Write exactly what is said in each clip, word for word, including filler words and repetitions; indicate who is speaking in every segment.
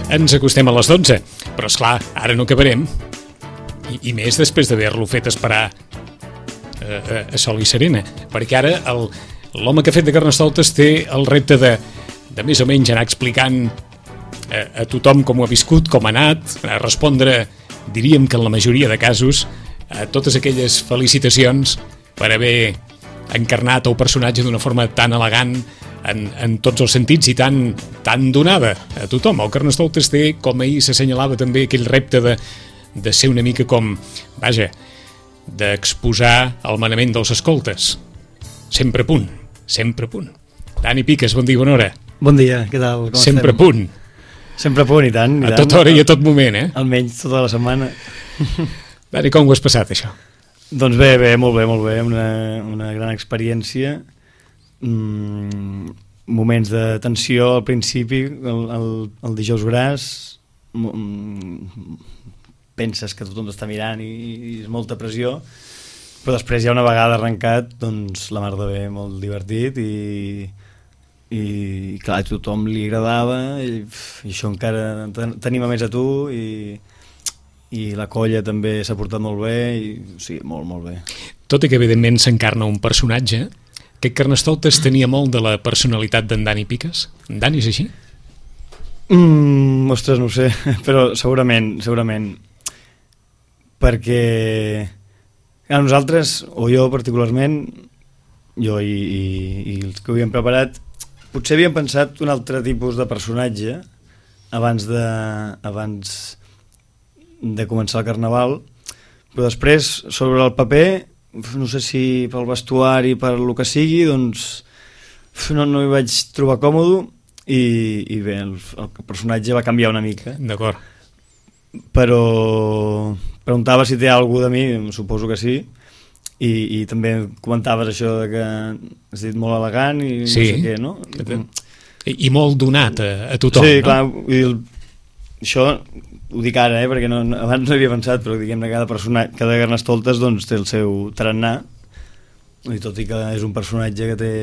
Speaker 1: Ens acostem a les dotze, però esclar, ara no acabarem. I, i més després d'haver-lo fet esperar a, a, a Sol i Serena, perquè ara el, l'home que ha fet de Carnestoltes té el repte de, de més o menys anar explicant a, a tothom com ho ha viscut, com ha anat, a respondre, diríem que en la majoria de casos, a totes aquelles felicitacions per haver encarnat el personatge d'una forma tan elegant en, en tots els sentits i tan, tan donada a tothom. El Carnestoltes té, com ahir s'assenyalava també, aquell repte de, de ser una mica com, vaja, d'exposar el manament dels escoltes. Sempre a punt, sempre a punt. Dani Piques, bon dia, bona hora.
Speaker 2: Bon dia, què tal? Com
Speaker 1: sempre
Speaker 2: estem?
Speaker 1: A punt.
Speaker 2: Sempre a punt, i tant. I
Speaker 1: a
Speaker 2: tant.
Speaker 1: tota hora i a tot moment, eh?
Speaker 2: Almenys tota la setmana.
Speaker 1: Dani, com ho has passat, això?
Speaker 2: Doncs bé, bé, molt bé, molt bé. Una, una gran experiència. Mm, moments de tensió al principi, el, el, el dijous gras. Mm, penses que tothom t'està mirant i, i és molta pressió, però després ja una vegada arrencat, doncs la mar de bé, molt divertit i, i clar, a tothom li agradava i, i això encara t'anima més a tu i i la colla també s'ha portat molt bé i, o sigui, molt, molt bé.
Speaker 1: Tot i que evidentment s'encarna un personatge, aquest Carnestoltes tenia molt de la personalitat d'en Dani Piques? En Dani és així?
Speaker 2: Mm, ostres, no ho sé, però segurament, segurament, perquè a nosaltres, o jo particularment, jo i, i, i els que ho havíem preparat, potser havíem pensat un altre tipus de personatge abans de... abans de començar el Carnaval, però després sobre el paper, no sé si pel vestuari, per el que sigui, doncs no, no hi vaig trobar còmode i, i bé, el, el personatge va canviar una mica.
Speaker 1: D'acord.
Speaker 2: Però preguntava si té alguna de mi, suposo que sí, i, i també comentaves això de que has dit molt elegant i
Speaker 1: sí,
Speaker 2: no sé què, no?
Speaker 1: I, i molt donat a, a tothom,
Speaker 2: sí,
Speaker 1: no?
Speaker 2: Clar, el, això ho dic ara, eh, perquè no, abans no havia pensat, però diguem-ne cada persona, cada Carnestoltes doncs, té el seu tarannà, i tot i que és un personatge que té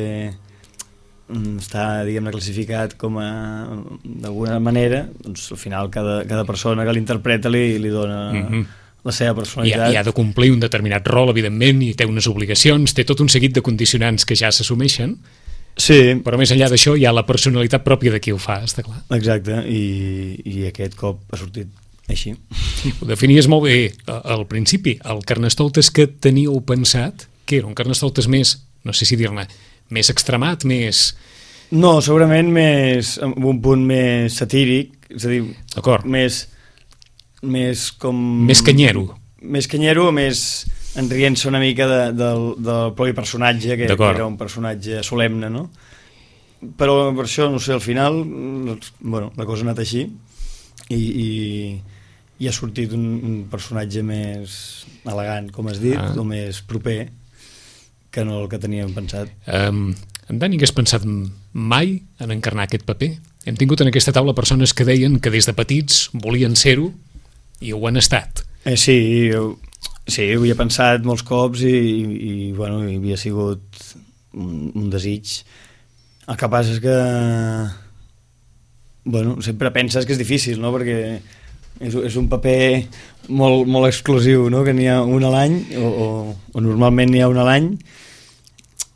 Speaker 2: està, diguem-ne, classificat com a d'alguna manera, doncs al final cada, cada persona que l'interpreta li, li dona mm-hmm. la seva personalitat.
Speaker 1: I ha, I ha de complir un determinat rol, evidentment, i té unes obligacions, té tot un seguit de condicionants que ja s'assumeixen.
Speaker 2: Sí.
Speaker 1: Però més enllà d'això hi ha la personalitat pròpia de qui ho fa, està clar.
Speaker 2: Exacte, i, i aquest cop ha sortit així.
Speaker 1: Ho definies molt bé al principi. El Carnestoltes que teníeu pensat, que era un Carnestoltes més, no sé si dir-ne, més extremat, més...
Speaker 2: No, segurament més, amb un punt més satíric, és a dir, més, més com...
Speaker 1: Més canyero.
Speaker 2: Més canyero, més... enrient-se una mica de, del, del propi personatge, que, que era un personatge solemne, no? Però per això, no sé, al final, bueno, la cosa ha anat així i, i, i ha sortit un, un personatge més elegant, com has dit, ah. o més proper que no el que teníem pensat.
Speaker 1: Um, en Dani, que has pensat mai en encarnar aquest paper? Hem tingut en aquesta taula persones que deien que des de petits volien ser-ho i ho han estat.
Speaker 2: Eh, sí, jo... Sí, ho havia pensat molts cops i, i, i bueno, hi havia sigut un, un desig. El que passa és que bueno, sempre penses que és difícil, no? Perquè és, és un paper molt, molt exclusiu, no? Que n'hi ha un a l'any, o, o, o normalment n'hi ha un a l'any,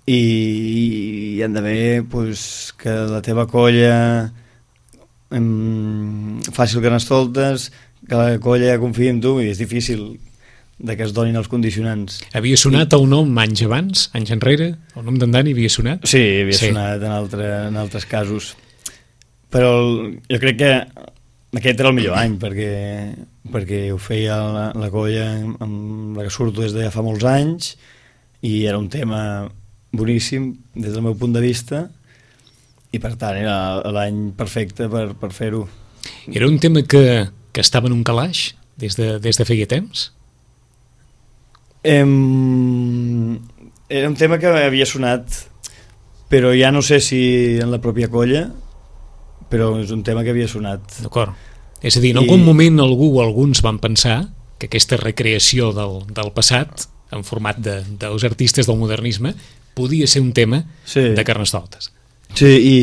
Speaker 2: i, i han d'haver pues, que la teva colla em, faci el Carnestoltes, que la colla confia en tu, i és difícil de que es donin els condicionants.
Speaker 1: Havia sonat el nom anys abans, anys enrere? El nom d'en Dani havia sonat?
Speaker 2: Sí, havia sí. sonat en, altre, en altres casos. Però el, jo crec que aquest era el millor any, perquè, perquè ho feia la, la colla amb la que surto des de ja fa molts anys, i era un tema boníssim des del meu punt de vista, i per tant era l'any perfecte per, per fer-ho.
Speaker 1: Era un tema que, que estava en un calaix des de, des de feia temps?
Speaker 2: Em... Era un tema que havia sonat, però ja no sé si en la pròpia colla, però és un tema que havia sonat.
Speaker 1: D'acord. És a dir, en I... algun moment algú o alguns van pensar que aquesta recreació del, del passat, en format de, dels artistes del modernisme, podia ser un tema sí. de Carnestoltes.
Speaker 2: Sí, i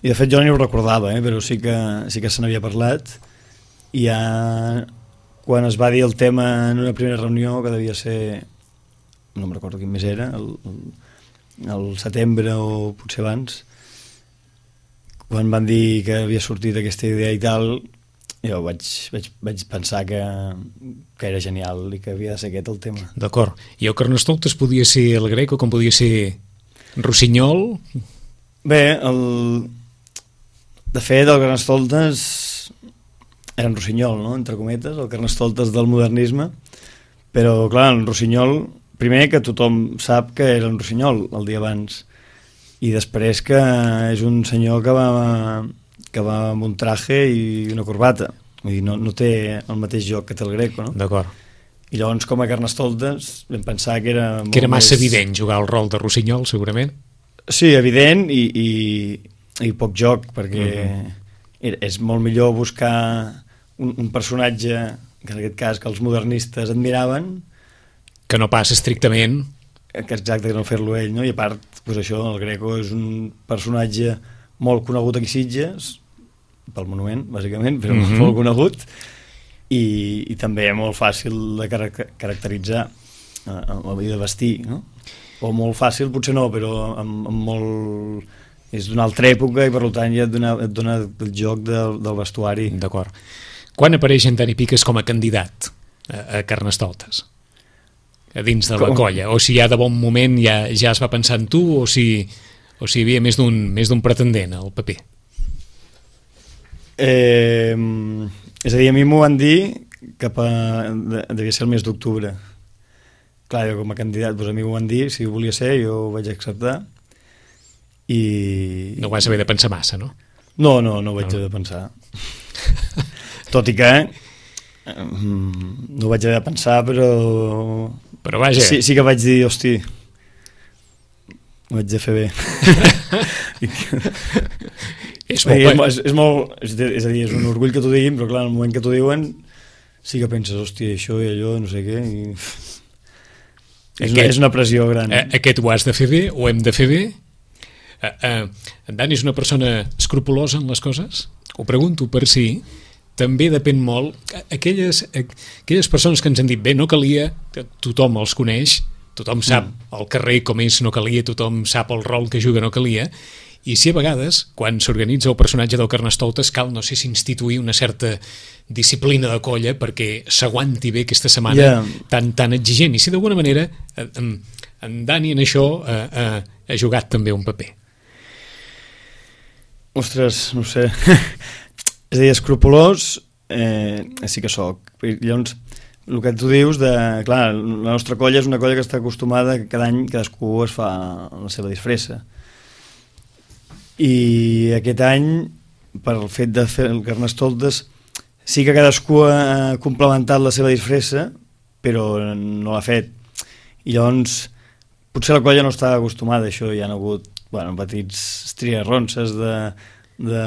Speaker 2: I de fet jo no ho recordava, eh? Però sí que, sí que se n'havia parlat, i ja quan es va dir el tema en una primera reunió, que devia ser, no em recordo quin mes era, el, el, el setembre o potser abans, quan van dir que havia sortit aquesta idea i tal, jo vaig, vaig, vaig pensar que, que era genial i que havia de ser aquest el tema.
Speaker 1: D'acord. I el Carnestoltes podia ser el Greco, com podia ser Rossinyol?
Speaker 2: Bé, el... de fet, el Carnestoltes era en Rossinyol, no?, entre cometes, el Carnestoltes del modernisme, però, clar, en Rossinyol, primer que tothom sap que era en Rossinyol el dia abans, i després que és un senyor que va, que va amb un traje i una corbata, vull dir, no, no té el mateix joc que té el Greco, no?
Speaker 1: D'acord.
Speaker 2: I llavors, com a Carnestoltes, vam pensar que era molt
Speaker 1: que era massa
Speaker 2: més...
Speaker 1: evident jugar el rol de Rossinyol, segurament.
Speaker 2: Sí, evident, i, i, i poc joc, perquè uh-huh. és molt millor buscar un, un personatge, que en aquest cas que els modernistes admiraven,
Speaker 1: que no passa estrictament...
Speaker 2: que exacte, que no fer-lo ell, no? I a part, pues això, el Greco és un personatge molt conegut aquí a Sitges, pel monument, bàsicament, però uh-huh. molt conegut, i, i també molt fàcil de car- caracteritzar eh, i de vestir, no? O molt fàcil, potser no, però amb, amb molt... és d'una altra època i per tant ja et dona, et dona el joc del, del vestuari.
Speaker 1: D'acord. Quan apareix en Dani Piques com a candidat a, a Carnestoltes? A dins de la com? Colla? O si ja de bon moment ja, ja es va pensar en tu, o si, o si hi havia més d'un, més d'un pretendent al paper?
Speaker 2: Eh, és a dir, a mi m'ho van dir cap a... devia ser el mes d'octubre. Clar, jo com a candidat, doncs a mi m'ho van dir, si volia ser, jo ho vaig acceptar. I...
Speaker 1: No ho vas haver de pensar massa, no?
Speaker 2: No, no, no ho vaig no. haver de pensar. Tot i que no ho vaig haver de pensar, però...
Speaker 1: Però vaja...
Speaker 2: Sí, sí que vaig dir, hosti, ho vaig de fer bé.
Speaker 1: és, molt...
Speaker 2: és, és molt... És a dir, és un orgull que t'ho diguin, però clar, en el moment que t'ho diuen sí que penses, hosti, això i allò, no sé què, i... És, aquest, una, és una pressió gran.
Speaker 1: Aquest ho has de fer bé, ho hem de fer bé? Uh, uh, en Dani és una persona escrupulosa en les coses? Ho pregunto per si... També depèn molt, aquelles, aquelles persones que ens han dit, bé, no calia, tothom els coneix, tothom sap al carrer com és, no calia, tothom sap el rol que juga, no calia, i si a vegades, quan s'organitza el personatge del Carnestoltes, cal, no sé si instituir una certa disciplina de colla perquè s'aguanti bé aquesta setmana yeah. tan, tan exigent, i si d'alguna manera en, en Dani en això eh, eh, ha jugat també un paper.
Speaker 2: Ostres, no sé... És a dir, escrupolós eh, sí que soc. Llavors, el que tu dius de... Clar, la nostra colla és una colla que està acostumada que cada any cadascú es fa la seva disfressa. I aquest any, per el fet de fer el Carnestoltes, sí que cadascú ha complementat la seva disfressa, però no l'ha fet. I llavors, potser la colla no està acostumada a això, hi ha hagut bueno, petits estriarronses de... de,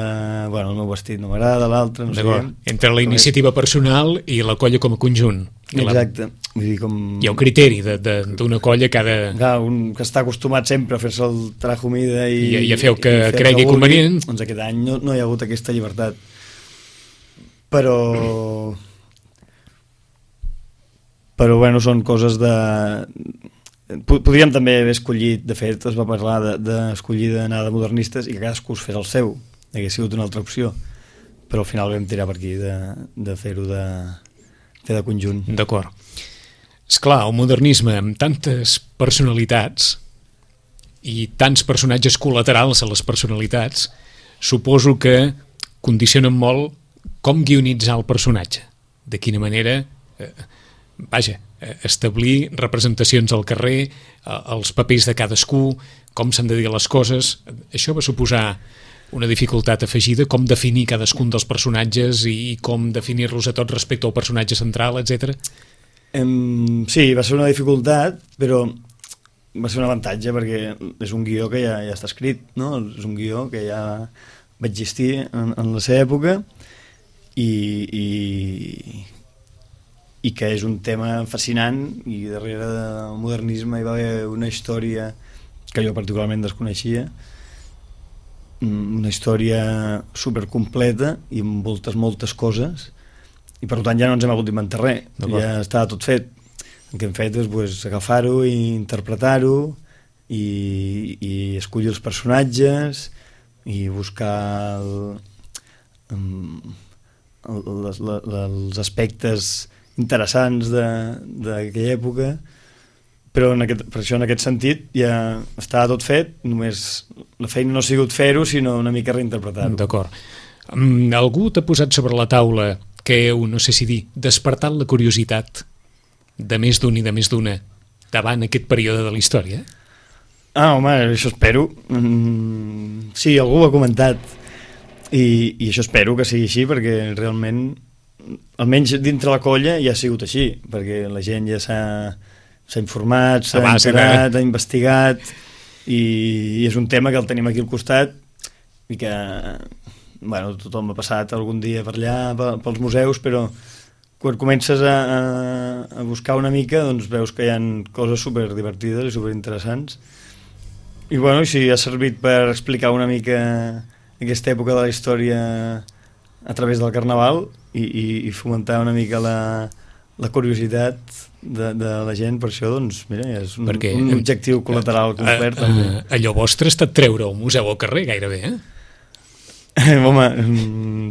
Speaker 2: bueno, el meu vestit no m'agrada, l'altre, no sé què.
Speaker 1: Entre la iniciativa personal i la colla com a conjunt.
Speaker 2: Exacte. Vull dir, com...
Speaker 1: Hi ha un criteri d'una colla que ha de...
Speaker 2: Clar, un que està acostumat sempre a fer-se el traje humida i,
Speaker 1: I, i a fer el que fer cregui que convenient.
Speaker 2: Doncs aquest any no, no hi ha hagut aquesta llibertat. Però... Però, bueno, són coses de... Podríem també haver escollit, de fet, es va parlar d'escollir de, d'anar de modernistes i que cadascú es fes el seu. Hauria sigut una altra opció, però al final vam tirar per aquí de, de fer-ho de, fer de conjunt.
Speaker 1: D'acord. Esclar, el modernisme amb tantes personalitats i tants personatges col·laterals a les personalitats, suposo que condicionen molt com guionitzar el personatge. De quina manera, eh, vaja, eh, establir representacions al carrer, eh, els papers de cadascú, com s'han de dir les coses. Això va suposar una dificultat afegida, com definir cadascun dels personatges i com definir-los a tots respecte al personatge central, etcètera.
Speaker 2: Um, sí, va ser una dificultat, però va ser un avantatge perquè és un guió que ja, ja està escrit, no? És un guió que ja va existir en, en la seva època i, i, i que és un tema fascinant, i darrere del modernisme hi va haver una història que jo particularment desconeixia una història supercompleta i amb moltes, moltes coses, i per tant ja no ens hem hagut d'inventar res, ja estava tot fet. El que hem fet és pues, agafar-ho i interpretar-ho i, i escollir els personatges i buscar el, el, les, les, els aspectes interessants d'aquella època, però en aquest, per això en aquest sentit ja estava tot fet, només la feina no ha sigut fer-ho sinó una mica reinterpretar-ho.
Speaker 1: D'acord. Um, algú t'ha posat sobre la taula que heu, no sé si dir, despertat la curiositat de més d'un i de més d'una davant aquest període de la història?
Speaker 2: Ah, home, això espero. Mm, sí, algú ho ha comentat i, i això espero que sigui així perquè realment, almenys dintre la colla ja ha sigut així, perquè la gent ja s'ha s'ha informat, s'ha enterat, ha investigat i, i és un tema que el tenim aquí al costat i que bueno, tothom ha passat algun dia per allà, pels museus, però quan comences a, a, a buscar una mica doncs veus que hi ha coses superdivertides i superinteressants i bueno, si ha servit per explicar una mica aquesta època de la història a través del Carnaval i, i, i fomentar una mica la, la curiositat de, de la gent, per això doncs mira, és un, Perquè, un objectiu col·lateral complet.
Speaker 1: A, a, allò vostre ha estat treure un museu al carrer gairebé, eh?
Speaker 2: Home,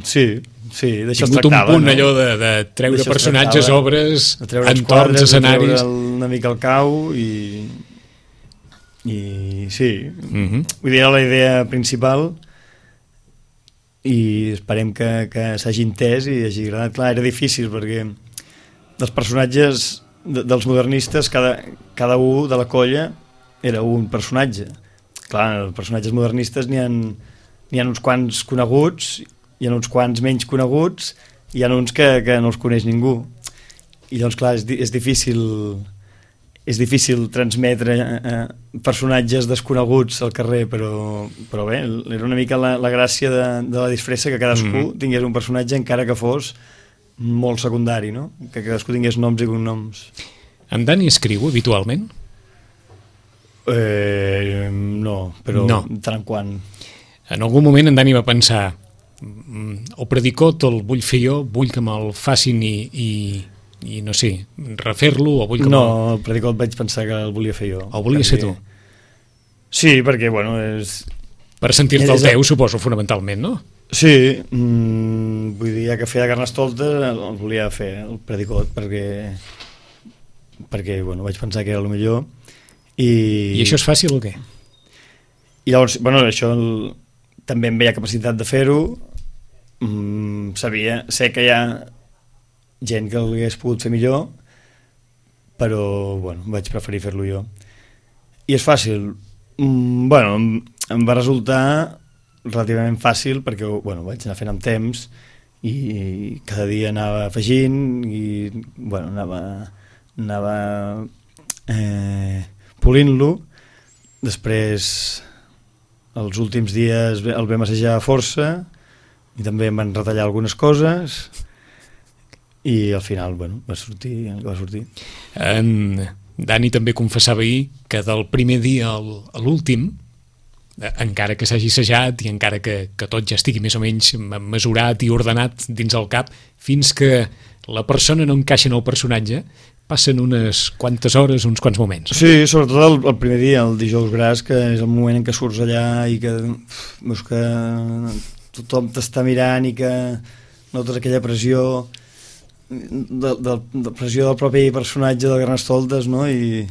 Speaker 2: sí, sí, d'això es tractava.
Speaker 1: Un punt, no? Allò de, de treure personatges, obres, entorns, escenaris...
Speaker 2: una mica al cau i, i sí, uh-huh. Vull dir, era la idea principal i esperem que, que s'hagi entès i hagi agradat. Clar, era difícil perquè dels personatges de, dels modernistes, cada, cada un de la colla era un personatge. Clar, els personatges modernistes n'hi ha n'hi ha uns quants coneguts, hi ha uns quants menys coneguts, hi ha uns que, que no els coneix ningú. I doncs, clar, és, és difícil és difícil transmetre eh, personatges desconeguts al carrer, però, però bé, era una mica la, la gràcia de, de la disfressa, que cadascú mm. tingués un personatge encara que fos molt secundari, no? Que cadascú tingués noms i cognoms.
Speaker 1: En Dani escriu habitualment?
Speaker 2: Eh, no, però no. Tant en quant...
Speaker 1: En algun moment en Dani va pensar o predicot el vull fer jo, vull que me'l facin i, i, i no sé, refer-lo o vull que
Speaker 2: no, el predicot vaig pensar que el volia fer jo.
Speaker 1: El volia ser tu?
Speaker 2: Sí, perquè bueno és...
Speaker 1: Per sentir-te el teu, suposo, fonamentalment, no?
Speaker 2: Sí, mmm, vull dir, ja que feia Carnestoltes el volia fer, el predicot, perquè perquè, bueno, vaig pensar que era el millor i...
Speaker 1: I això és fàcil o què?
Speaker 2: I llavors, bueno, això el... també em veia capacitat de fer-ho, mm, sabia, sé que hi ha gent que l'hagués pogut fer millor, però bueno, vaig preferir fer-lo jo. I és fàcil, mm, bueno, em, em va resultar relativament fàcil perquè bueno, vaig anar fent amb temps i cada dia anava afegint i bueno, anava, anava eh, polint-lo. Després els últims dies el vam assajar força i també em van retallar algunes coses i al final bueno, va sortir, va sortir.
Speaker 1: En Dani també confessava ahir que del primer dia a l'últim, encara que s'hagi assajat i encara que, que tot ja estigui més o menys mesurat i ordenat dins el cap, fins que la persona no encaixa en el personatge, passen unes quantes hores, uns quants moments.
Speaker 2: Sí, sobretot el, el primer dia, el dijous gras, que és el moment en què surts allà i que veus que tothom t'està mirant i que notes aquella pressió de, de, de pressió del propi personatge del Carnestoltes, no? I,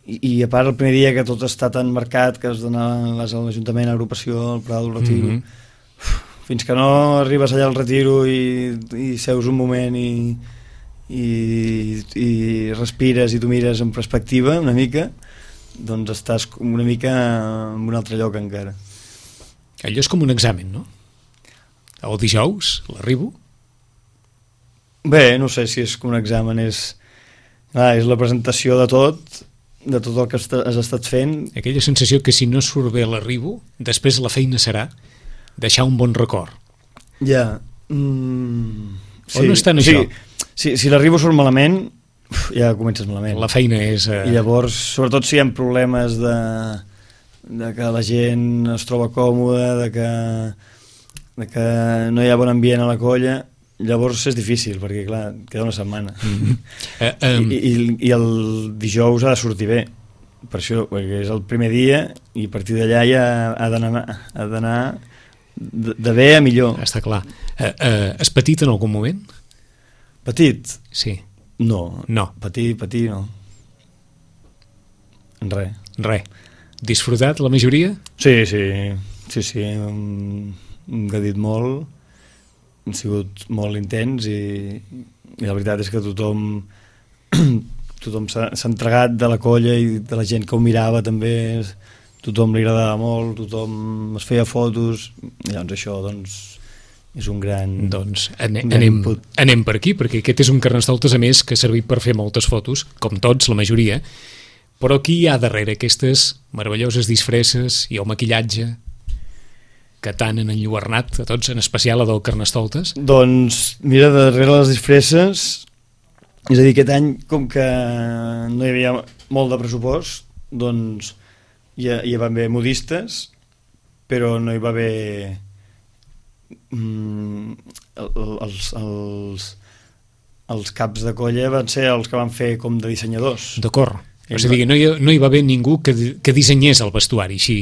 Speaker 2: i, i a part el primer dia que tot està tan marcat que has d'anar a l'Ajuntament, a l'agrupació, al Prat del Retiro, mm-hmm. fins que no arribes allà al Retiro i, i seus un moment i I, i respires i tu mires en perspectiva una mica, doncs estàs una mica en un altre lloc encara.
Speaker 1: Allò és com un examen, no? El dijous, l'arribo?
Speaker 2: Bé, no sé si és com un examen, és, ah, és la presentació de tot, de tot el que has estat fent.
Speaker 1: Aquella sensació que si no surt bé l'arribo, després la feina serà deixar un bon record.
Speaker 2: Ja. Mm,
Speaker 1: sí, o no és tant això?
Speaker 2: Sí. Si, si l'arribo surt malament, uf, ja comences malament.
Speaker 1: La feina és... Uh...
Speaker 2: I llavors, sobretot si hi ha problemes de, de que la gent es troba còmoda, de que, de que no hi ha bon ambient a la colla, llavors és difícil, perquè clar, queda una setmana. Mm-hmm. uh, um... I, i, I el dijous ha de sortir bé, per això, perquè és el primer dia i a partir d'allà ja ha d'anar ha d'anar de, de bé a millor.
Speaker 1: Està clar. Uh, uh, has patit en algun moment?
Speaker 2: Petit?
Speaker 1: Sí.
Speaker 2: No,
Speaker 1: no.
Speaker 2: patir, patir no. Res.
Speaker 1: Res. Disfrutat la majoria?
Speaker 2: Sí, sí, sí, sí. Hem, hem gadit molt, han sigut molt intens i, i la veritat és que tothom tothom s'ha entregat de la colla i de la gent que ho mirava també, tothom li agradava molt, tothom es feia fotos, i llavors això doncs és un gran...
Speaker 1: Doncs anem, un gran anem, anem per aquí, perquè aquest és un Carnestoltes, a més, que ha servit per fer moltes fotos, com tots, la majoria, però qui hi ha darrere aquestes meravelloses disfresses i el maquillatge que tant han enlluernat a tots, en especial a del Carnestoltes?
Speaker 2: Doncs, mira, darrere les disfresses, és a dir, aquest any, com que no hi havia molt de pressupost, doncs hi, hi van haver modistes, però no hi va haver... Mm, els, els, els caps de colla van ser els que van fer com de dissenyadors.
Speaker 1: D'acord. És a dir, no hi, no hi va haver ningú que, que dissenyés el vestuari, així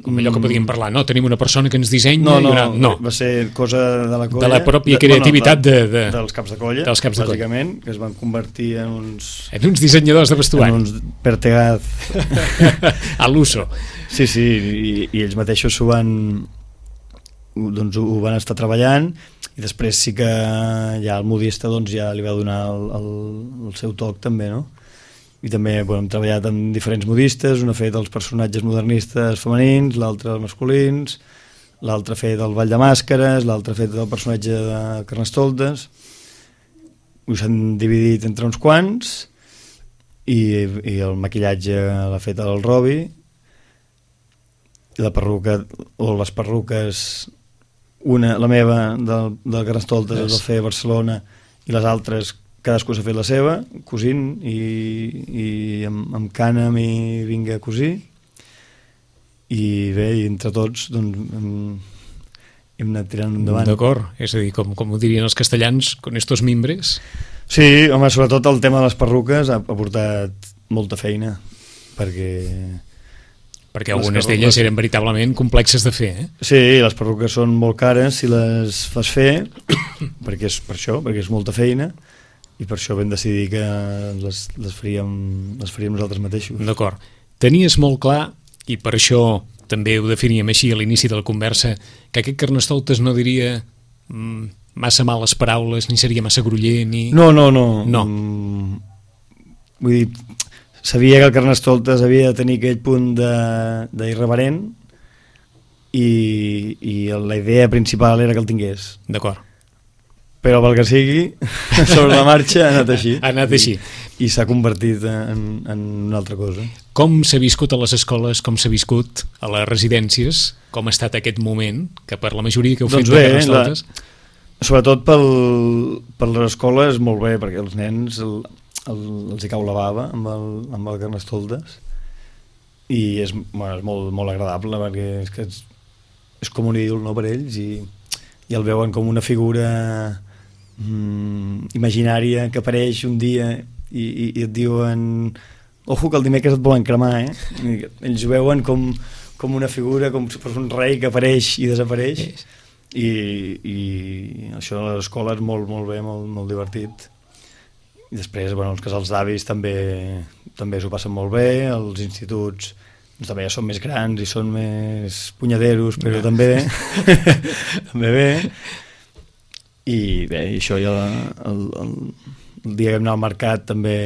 Speaker 1: com allò que podíem parlar, no? Tenim una persona que ens dissenya...
Speaker 2: No, no,
Speaker 1: i una... no.
Speaker 2: va ser cosa de la colla...
Speaker 1: De la pròpia creativitat de, de, de,
Speaker 2: dels caps de colla,
Speaker 1: dels caps de
Speaker 2: bàsicament,
Speaker 1: colla.
Speaker 2: Que es van convertir en uns...
Speaker 1: En uns dissenyadors de vestuari.
Speaker 2: En uns pertegaz.
Speaker 1: A l'uso.
Speaker 2: Sí, sí, i, i ells mateixos s'ho van... doncs ho van estar treballant i després sí que ja el modista doncs ja li va donar el, el, el seu toc també, no? I també bueno, hem treballat amb diferents modistes, un ha fet els personatges modernistes femenins, l'altre els masculins, l'altre ha fet el ball de màscares, l'altre ha fet el personatge de Carnestoltes, ho s'han dividit entre uns quants i, i el maquillatge l'ha fet el Robi, i la perruca o les perruques, una, la meva del, del Carnestoltes es va fer a Barcelona i les altres cadascú s'ha fet la seva, cosint i, i amb, amb cànem i vinga a cosir, i bé, i entre tots doncs hem, hem anat tirant endavant.
Speaker 1: D'acord, és a dir, com, com ho dirien els castellans, con estos mimbres.
Speaker 2: Sí, home, sobretot el tema de les perruques ha, ha portat molta feina, perquè...
Speaker 1: perquè algunes d'elles eren veritablement complexes de fer, eh?
Speaker 2: Sí, les perruques són molt cares si les fas fer, perquè és per això, perquè és molta feina, i per això vam decidir que les, les, faríem, les faríem nosaltres mateixos.
Speaker 1: D'acord. Tenies molt clar, i per això també ho definíem així a l'inici de la conversa, que aquest Carnestoltes no diria mm, massa males paraules, ni seria massa groller, ni...
Speaker 2: No, no, no.
Speaker 1: No.
Speaker 2: Mm, vull dir, sabia que el Carnestoltes havia de tenir aquell punt d'irreverent i, i la idea principal era que el tingués.
Speaker 1: D'acord.
Speaker 2: Però pel que sigui, sobre la marxa ha anat així.
Speaker 1: Ha anat així.
Speaker 2: I, i s'ha convertit en, en una altra cosa.
Speaker 1: Com s'ha viscut a les escoles, com s'ha viscut a les residències, com ha estat aquest moment, que per la majoria que heu
Speaker 2: doncs
Speaker 1: fet
Speaker 2: bé,
Speaker 1: de Carnestoltes...
Speaker 2: La, sobretot pel, per les escoles molt bé, perquè els nens el, el, els hi cau la bava amb el, amb el Carnestoltes i és, bueno, és molt, molt agradable perquè és, que és, és com un ídol, no, per ells i, i el veuen com una figura mm, imaginària que apareix un dia i, i, i et diuen ojo que el dimecres et volen cremar, eh? I ells ho veuen com, com una figura, com si fos un rei que apareix i desapareix i, i això a l'escola és molt, molt bé, molt, molt divertit. I després, bueno, els casals d'avis també també s'ho passen molt bé, els instituts doncs, també ja són més grans i són més punyaderos, però no. també també bé. I bé, i això ja el, el, el dia que vam anar al mercat també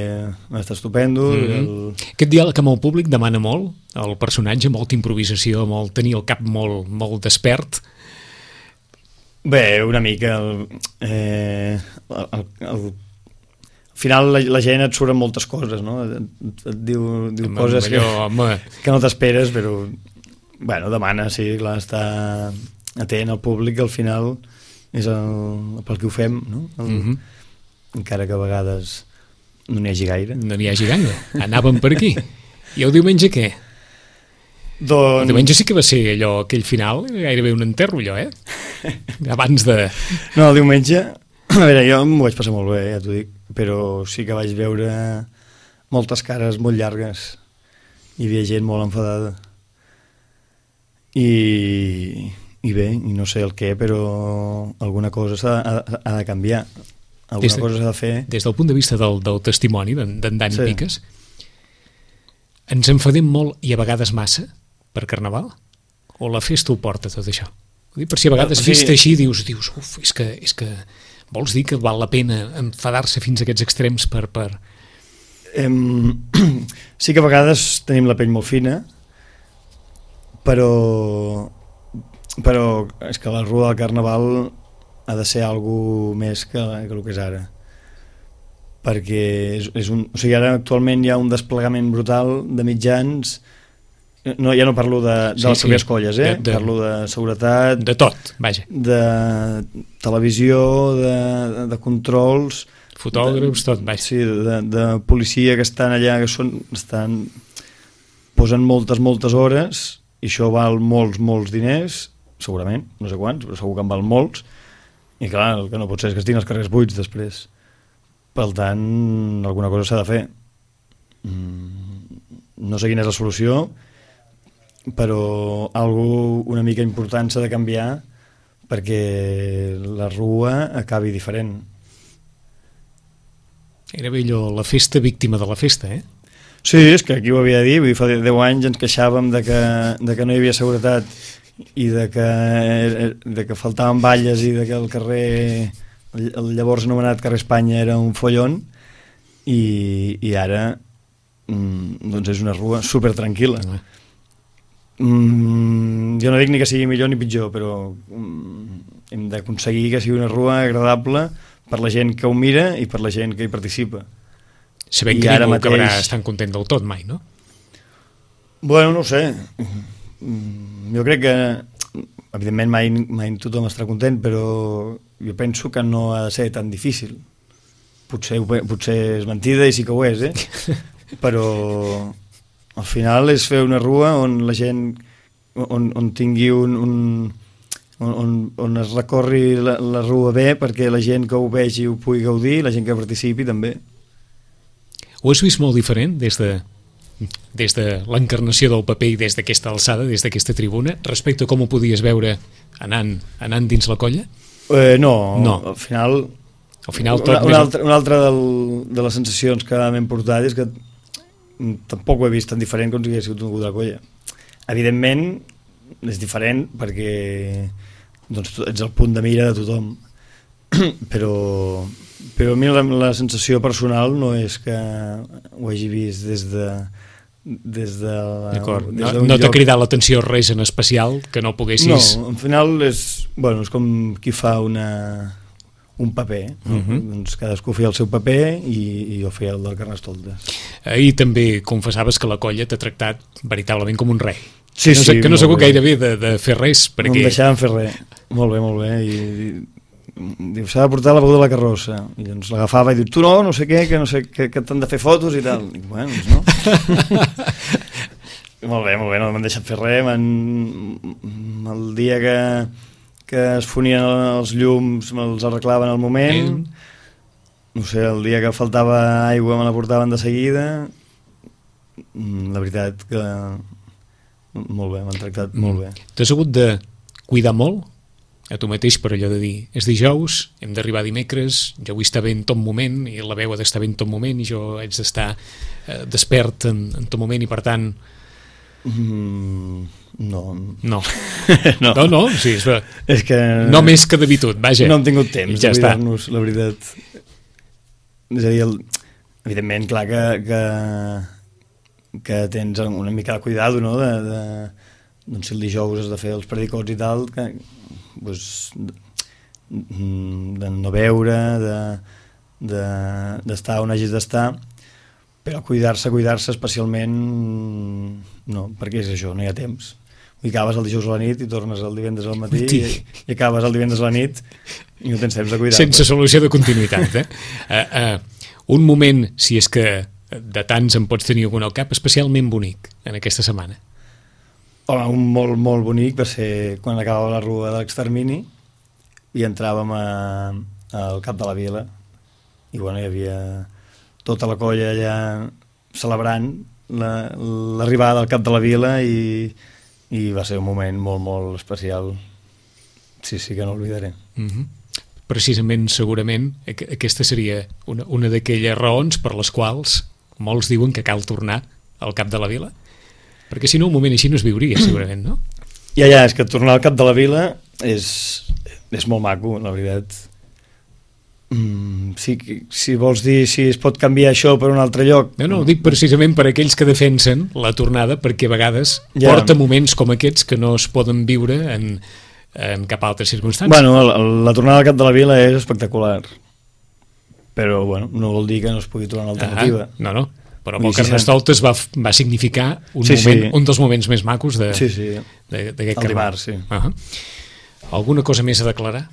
Speaker 2: va estar estupendo. Mm-hmm. el...
Speaker 1: Aquest diàleg amb el públic demana molt, el personatge, molta improvisació, molt tenir el cap molt, molt despert.
Speaker 2: Bé, una mica el, eh, el, el, el al final la, la gent et surten moltes coses, no? Et, et diu, diu home, coses allò, que, que no t'esperes, però bueno, demana, sí, clar, està atent al públic, que al final és el, pel que ho fem, no? El, mm-hmm. Encara que a vegades no n'hi hagi gaire.
Speaker 1: No n'hi hagi gaire, anàvem per aquí. I el diumenge què?
Speaker 2: Doncs...
Speaker 1: El diumenge sí que va ser allò, aquell final, gairebé un enterro, allò, eh? Abans de...
Speaker 2: No, el diumenge, a veure, jo m'ho vaig passar molt bé, ja t'ho dic, però sí que vaig veure moltes cares molt llargues. Hi havia gent molt enfadada. I, i bé, i no sé el què, però alguna cosa s'ha ha, ha de canviar. Alguna de, cosa s'ha de fer.
Speaker 1: Des del punt de vista del, del testimoni d'en Dani
Speaker 2: sí.
Speaker 1: Piques, ens enfadem molt i a vegades massa per Carnaval? O la festa ho porta tot això? Per si a vegades, o sigui, vist així, dius, dius uf, és que, és que vols dir que val la pena enfadar-se fins a aquests extrems per... per...
Speaker 2: Em, sí que a vegades tenim la pell molt fina, però però és que la Rua del Carnaval ha de ser alguna més que, que el que és ara, perquè és, és un, o sigui, ara actualment hi ha un desplegament brutal de mitjans, no, ja no parlo de, de sí, les pròpies sí. colles, eh? de, de, parlo de seguretat,
Speaker 1: de tot, vaja,
Speaker 2: de televisió, de, de, de controls,
Speaker 1: fotògrafs, tot, vaja.
Speaker 2: Sí, de, de policia que estan allà, que són, estan, posen moltes, moltes hores, i això val molts, molts diners, segurament, no sé quants, però segur que en val molts, i clar, el que no pot ser és que estiguin els carrers buits després. Per tant, alguna cosa s'ha de fer. No sé quina és la solució, però algo una mica important s'ha de canviar perquè la Rua acabi diferent.
Speaker 1: Era allò, la festa víctima de la festa, eh?
Speaker 2: Sí, és que aquí ho havia de dir, vull dir, fa deu anys ens queixàvem de que, de que no hi havia seguretat i de que, de que faltaven balles i de que el carrer, el llavors anomenat carrer Espanya era un follon, i, i ara doncs és una rua super tranquil·la. Mm, jo no dic ni que sigui millor ni pitjor, però mm, hem d'aconseguir que sigui una rua agradable per la gent que ho mira i per la gent que hi participa.
Speaker 1: Sabent que ningú mateix... acabarà estant content del tot mai, no?
Speaker 2: Bueno, no ho sé. Jo crec que evidentment mai, mai tothom estarà content, però jo penso que no ha de ser tan difícil. Potser, potser és mentida i sí que ho és, eh? Però al final és fer una rua on la gent on, on tingui un, un on, on es recorri la, la rua bé perquè la gent que ho vegi ho pugui gaudir, la gent que participi també.
Speaker 1: Ho has vist molt diferent des de, des de l'encarnació del paper i des d'aquesta alçada, des d'aquesta tribuna, respecte a com ho podies veure anant, anant dins la colla?
Speaker 2: Eh, no,
Speaker 1: no,
Speaker 2: al final...
Speaker 1: Al final tot
Speaker 2: una, una, altra, una altra del, de les sensacions que m'hem portat és que tampoc ho he vist tan diferent com si hagués sigut un de la colla. Evidentment és diferent perquè doncs, ets el punt de mira de tothom, però... però a mi la, la sensació personal no és que ho hagi vist des de des de la,
Speaker 1: d'acord,
Speaker 2: des
Speaker 1: no, no t'ha cridat l'atenció res en especial que no poguessis...
Speaker 2: No, al final és, bueno, és com qui fa una, un paper, no? Uh-huh. Doncs cadascú feia el seu paper i, i jo feia el del Carnestoltes.
Speaker 1: Ahir també confessaves que la colla t'ha tractat veritablement com un rei.
Speaker 2: Sí,
Speaker 1: que no,
Speaker 2: sí,
Speaker 1: que no segur gairebé de, de fer res perquè...
Speaker 2: No em deixaven fer res, molt bé, molt bé, i... i diu, s'ha de portar la beguda de la carrossa, i doncs l'agafava i diu, tu no, no sé què, que no sé que, que t'han de fer fotos i tal, i bueno, doncs no. Molt bé, molt bé, no m'han deixat fer res. El dia que, que es fonien els llums me'ls arreglaven al moment, no sé, el dia que faltava aigua me la portaven de seguida. La veritat que molt bé, m'han tractat molt bé.
Speaker 1: T'has hagut de cuidar molt a tu mateix per allò de dir, és dijous, hem d'arribar dimecres, jo vull estar bé en tot moment i la veu ha d'estar bé en tot moment i jo haig d'estar eh, despert en, en tot moment i per tant...
Speaker 2: Mm, no.
Speaker 1: No.
Speaker 2: no.
Speaker 1: No, no, sí, és,
Speaker 2: és que...
Speaker 1: No més que d'habitud, vaja.
Speaker 2: No hem tingut temps
Speaker 1: ja
Speaker 2: de cuidar-nos, la veritat. És a dir, el... evidentment, clar que, que, que tens una mica de cuidado, no?, de... de... doncs si el dijous has de fer els predicots i tal, que, doncs, de no beure, de, de, d'estar on hagis d'estar, però cuidar-se, cuidar-se especialment, no, perquè és això, no hi ha temps. I acabes el dijous a la nit i tornes el divendres al matí i, i acabes el divendres a la nit i no tens temps de cuidar-te.
Speaker 1: Sense solució de continuïtat, eh? uh, uh, un moment, si és que de tants en pots tenir algun al cap, especialment bonic en aquesta setmana.
Speaker 2: Home, un molt, molt bonic va ser quan acabava la rua de l'extermini i entràvem a, al cap de la vila i bueno, hi havia tota la colla allà celebrant la, l'arribada del cap de la vila i, i va ser un moment molt, molt especial. Sí, sí que no l'oblidaré.
Speaker 1: Mm-hmm. Precisament, segurament, aquesta seria una, una d'aquelles raons per les quals molts diuen que cal tornar al cap de la vila. Perquè si no, un moment així no es viuria, segurament, no?
Speaker 2: Ja, ja, és que tornar al cap de la vila és, és molt maco, la veritat. Mm, sí, si vols dir si es pot canviar això per un altre lloc...
Speaker 1: No, no, ho dic precisament per aquells que defensen la tornada, perquè a vegades
Speaker 2: ja.
Speaker 1: porta moments com aquests que no es poden viure en, en cap altra circumstància.
Speaker 2: Bueno, la, la tornada al cap de la vila és espectacular, però bueno, no vol dir que no es pugui trobar una alternativa.
Speaker 1: Ah, no, no, però el Carnestoltes va, va significar un,
Speaker 2: sí,
Speaker 1: moment,
Speaker 2: sí.
Speaker 1: un dels moments més macos de,
Speaker 2: sí, sí.
Speaker 1: d'aquest
Speaker 2: el dimarts, sí.
Speaker 1: Uh-huh. Alguna cosa més a declarar?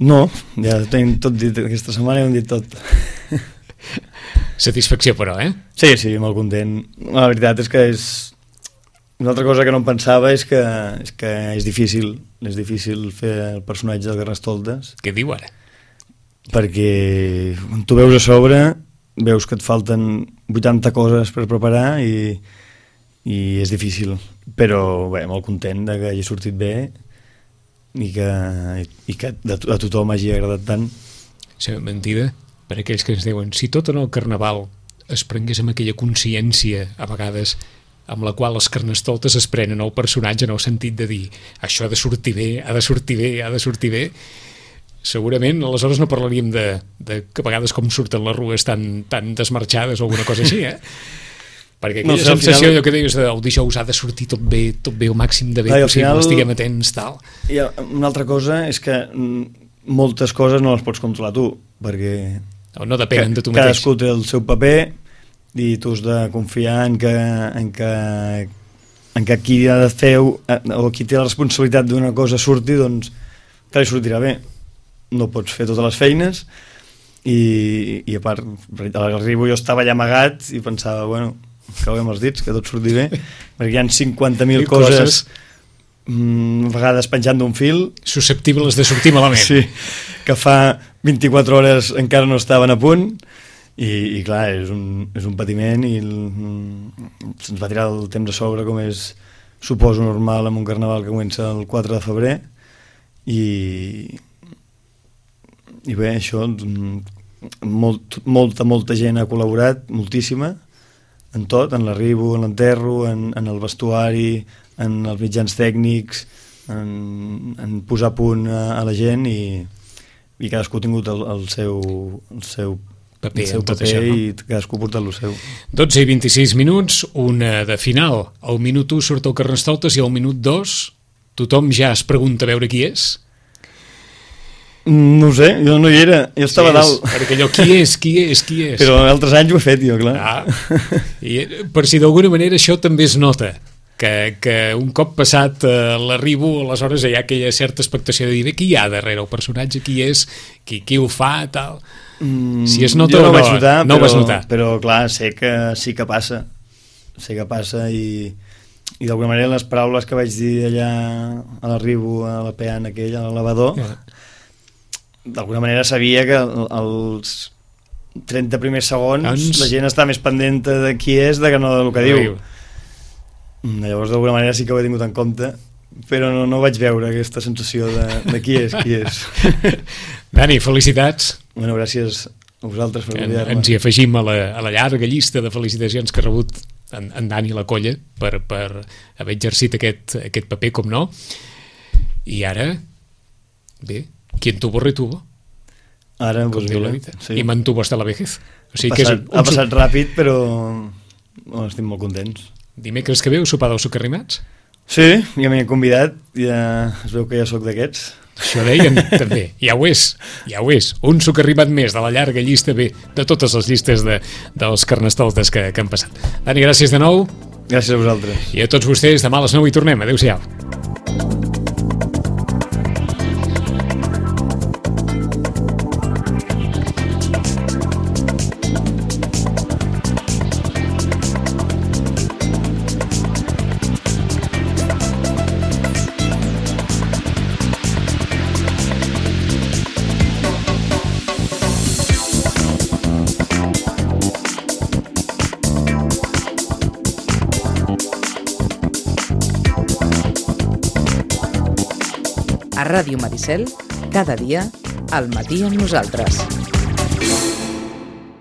Speaker 2: No, ja tenim tot dit, aquesta setmana hem dit tot.
Speaker 1: Satisfacció, però, eh?
Speaker 2: Sí, sí, molt content. La veritat és que és... Una altra cosa que no em pensava és que és, que és difícil, és difícil fer el personatge del Carnestoltes.
Speaker 1: Què diu ara?
Speaker 2: Perquè quan tu veus a sobre, veus que et falten vuitanta coses per preparar i, i és difícil. Però bé, molt content de que hagi sortit bé i que, i que a tothom hagi agradat tant.
Speaker 1: Sí, mentida, per aquells que ens diuen si tot en el Carnaval es prengués amb aquella consciència a vegades amb la qual els Carnestoltes es prenen el personatge en el sentit de dir això ha de sortir bé, ha de sortir bé, ha de sortir bé, segurament aleshores no parlaríem de, de que a vegades com surten les rues tan, tan desmarxades o alguna cosa així, eh? Perquè aquella no sé, sensació, final... allò que deies, el dijous ha de sortir tot bé, tot bé, el màxim de bé Ai, possible, final, estiguem atents, tal.
Speaker 2: I una altra cosa és que moltes coses no les pots controlar tu, perquè
Speaker 1: no, no depenen de tu mateix.
Speaker 2: Cadascú té el seu paper i tu has de confiar en que, en que, en que qui ha de fer o qui té la responsabilitat d'una cosa surti, doncs que li sortirà bé. No pots fer totes les feines i, i a part, a l'arribo jo estava allà amagat i pensava, bueno, creuem els dits, que tot surti bé, perquè hi ha cinquanta mil coses, coses mm, a vegades penjant d'un fil.
Speaker 1: Susceptibles de sortir malament.
Speaker 2: Sí, que fa vint-i-quatre hores encara no estaven a punt i, i clar, és un, és un patiment i el, se'ns va tirar el temps a sobre com és, suposo, normal en un carnaval que comença el quatre de febrer i, i bé, això molt, molta, molta gent ha col·laborat, moltíssima, en tot, en l'arribo, en l'enterro, en, en el vestuari, en els mitjans tècnics, en, en posar a punt a, a la gent i, i cadascú ha tingut el, el seu, el seu
Speaker 1: paper,
Speaker 2: el seu paper això, no? I cadascú ha portat el seu.
Speaker 1: dotze i vint-i-sis minuts, una de final. Al minut u surt el Carnestoltes i al minut dos tothom ja es pregunta a veure qui és.
Speaker 2: No ho sé, jo no hi era, jo estava
Speaker 1: sí,
Speaker 2: dalt.
Speaker 1: Perquè allò, qui és, qui és, qui és?
Speaker 2: Però altres anys ho he fet jo, clar.
Speaker 1: Ah, i per si d'alguna manera això també es nota, que, que un cop passat eh, l'arribo, aleshores hi ha aquella certa expectació de dir, qui hi ha darrere el personatge, qui és, qui, qui ho fa, tal.
Speaker 2: Mm,
Speaker 1: si es nota
Speaker 2: jo no
Speaker 1: o no,
Speaker 2: vaig notar,
Speaker 1: no
Speaker 2: però,
Speaker 1: ho vas notar.
Speaker 2: Però clar, sé que sí que passa, sé que passa i, i d'alguna manera les paraules que vaig dir allà a l'arribo, a la peana aquella, al lavador, yeah. D'alguna manera sabia que els trenta primers segons Ens... la gent està més pendent de qui és de que no del que diu. Llavors d'alguna manera sí que ho he tingut en compte, però no, no vaig veure aquesta sensació de, de qui és, qui és.
Speaker 1: Dani, felicitats.
Speaker 2: Bueno, gràcies a vosaltres per convidar-me.
Speaker 1: Ens hi afegim a la, a la llarga llista de felicitacions que ha rebut en, en Dani la Colla per, per haver exercit aquest, aquest paper, com no. I ara, bé, quien tuvo retuvo.
Speaker 2: Ara,
Speaker 1: com
Speaker 2: pues
Speaker 1: diu
Speaker 2: mira,
Speaker 1: la dita.
Speaker 2: sí.
Speaker 1: I mantuvo hasta la vejez. O sigui
Speaker 2: ha,
Speaker 1: que
Speaker 2: passat,
Speaker 1: és un, un
Speaker 2: ha passat ràpid, però bueno, estic molt contents.
Speaker 1: Dimecres que ve, sopar dels socarrimats?
Speaker 2: Sí, ja m'hi he convidat, ja es veu que ja sóc d'aquests.
Speaker 1: Això deien també, ja ho és, ja ho és. Un socarrimat més de la llarga llista, bé, de totes les llistes de, dels Carnestoltes que, que han passat. Dani, gràcies de nou.
Speaker 2: Gràcies a vosaltres.
Speaker 1: I a tots vostès, demà a les nou hi tornem. Adéu-siau.
Speaker 3: A Ràdio Maricel, cada dia, al matí amb nosaltres.